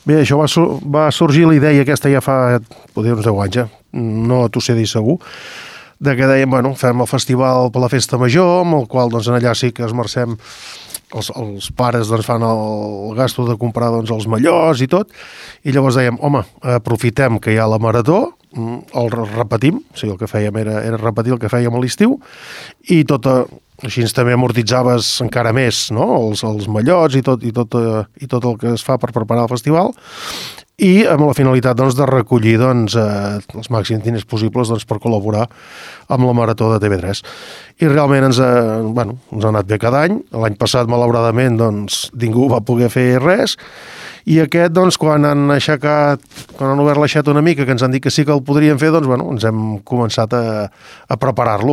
Bé, això va sorgir la idea aquesta ja fa, podria uns 10 anys, no t'ho sé dir segur, de que dèiem, bueno, fem el festival per la festa major, amb el qual doncs, en allà sí que esmercem, els pares doncs, fan el gasto de comprar doncs, els mallots i tot, i llavors dèiem, home, aprofitem que hi ha la marató, el repetim, o sigui, el que fèiem era repetir el que fèiem a l'estiu, i així també amortitzaves encara més, no? els mallots i tot el que es fa per preparar el festival, i amb la finalitat doncs, de recollir doncs, els màxims diners possibles doncs, per col·laborar amb la Marató de TV3. I realment ens ha anat bé cada any. L'any passat, malauradament, doncs, ningú va poder fer res, i aquest, doncs, quan han obert l'aixeta una mica, que ens han dit que sí que el podríem fer, doncs, ens hem començat a preparar-lo.